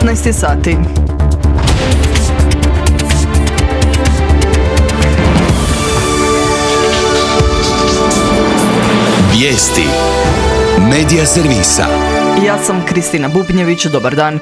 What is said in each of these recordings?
15 sati. Vijesti Medija servisa. Ja sam Kristina Bubnjević, dobar dan.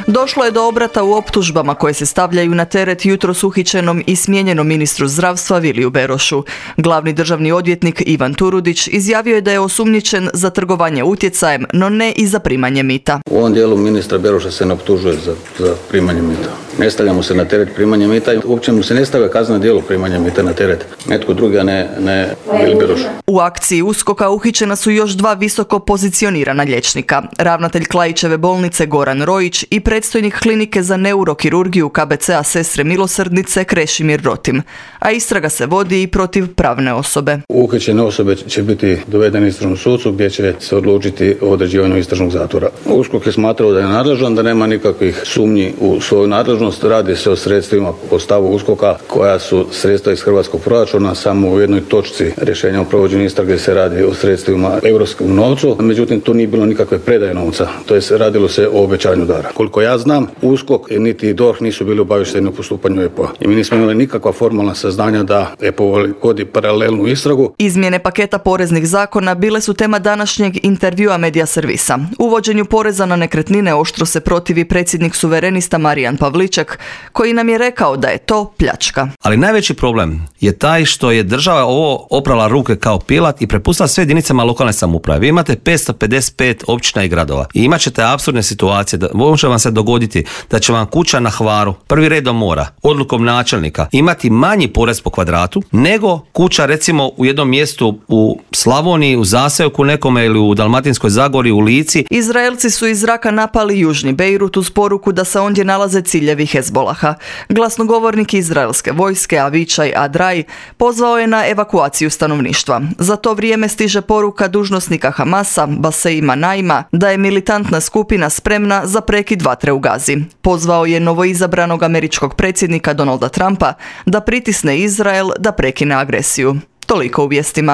Došlo je do obrata u optužbama koje se stavljaju na teret jutros uhićenom i smijenjenom ministru zdravstva Viliju Berošu. Glavni državni odvjetnik Ivan Turudić izjavio je da je osumnjičen za trgovanje utjecajem, no ne i za primanje mita. U ovom dijelu ministra Beroša se ne optužuje za primanje mita. Ne stavlja mu se na teret primanje mita i uopće mu se ne stavlja kazneno djelo primanja mita na teret. Netko drugi, a ne Vili Beroš. U akciji USKOK-a uhićena su još dva visoko pozicionirana liječnika. Ravnatelj Klaićeve bolnice Goran Rojić i predstojnik klinike za neurokirurgiju KBC-a Sestre milosrdnice Krešimir Rotim. A istraga se vodi i protiv pravne osobe. Uhićene osobe će biti dovedene istražnom sucu gdje će se odlučiti o određivanju istražnog zatvora. USKOK je smatrao da je nadležan, da nema nikakvih sumnji u svoju nadležnost. Radi se o sredstvima po stavu USKOK-a koja su sredstva iz hrvatskog proračuna. Samo u jednoj točci rješenja o provođenju istrage se radi o sredstvima europskom novcu. Međutim, tu nije bilo nikakve predaje novca. To je radilo se o obećanju dara. Koliko ja znam, USKOK niti DORH nisu bili obavješteni o postupanju EPO-a. I mi nismo imali nikakva formalna saznanja da EPO vodi paralelnu istragu. Izmjene paketa poreznih zakona bile su tema današnjeg intervjua Medija servisa. Uvođenju poreza na nekretnine oštro se protivi predsjednik suverenista Marijan Pavliček, koji nam je rekao da je to pljačka. Ali najveći problem je taj što je država ovo oprala ruke kao pilat i prepustila sve jedinicama lokalne samouprave. Vi imate 555 općina i gradova i imat ćete apsurdne situacije da može vam se dogoditi da će vam kuća na Hvaru, prvi red do mora, odlukom načelnika, imati manji porez po kvadratu nego kuća recimo u jednom mjestu u Slavoniji, u zaseoku nekome ili u Dalmatinskoj Zagori, u Lici. Izraelci su iz zraka napali južni Bejrut uz poruku da se ondje nalaze ciljevi Hezbolaha. Glasnogovornik izraelske vojske Avičaj Adraj pozvao je na evakuaciju stanovništva. Za to vrijeme stiže poruka dužnosnika Hamasa Baseima Naima da je militantna skupina spremna za prekid vatre u Gazi. Pozvao je novoizabranog američkog predsjednika Donalda Trumpa da pritisne Izrael da prekine agresiju. Toliko u vijestima.